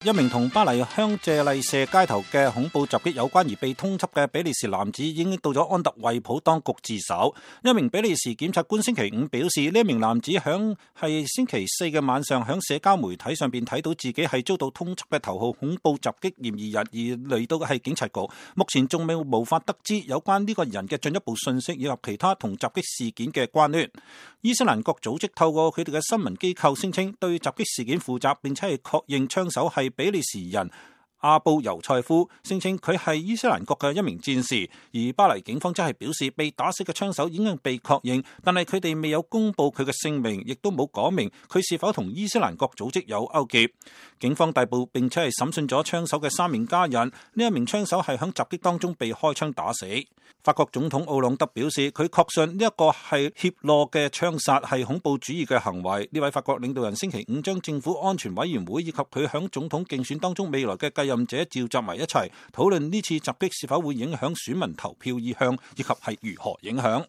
一名同巴黎香榭麗舍街頭嘅恐怖襲擊有關而被通緝嘅比利時男子已經到咗安特衛普當局自首。一名比利時檢察官星期五表示，呢一名男子係星期四嘅晚上響社交媒體上邊睇到自己係遭到通緝嘅頭號恐怖襲擊嫌疑人，而嚟到嘅係警察局。目前仲未無法得知有關呢個人嘅進一步信息以及其他同襲擊事件嘅關聯。伊斯蘭國組織透過佢哋嘅新聞機構聲稱對襲擊事件負責，並且係確認槍手係比利時人阿布尤塞夫，聲稱佢係伊斯蘭國嘅一名戰士。而巴黎警方則係表示，被打死嘅槍手已經被確認，但係佢哋未有公布佢嘅姓名，亦都冇講明佢是否同伊斯蘭國組織有勾結。警方逮捕並且係審訊咗槍手嘅3名家人。呢一名槍手係響襲擊當中被開槍打死。法國總統奧朗德表示，佢確信呢一個係怯懦嘅槍殺係恐怖主義嘅行為。呢位法國領導人星期五將政府安全委員會以及佢響總統競選當中未來嘅繼任者召集埋一齊，討論呢次襲擊是否會影響選民投票意向，以及係如何影響。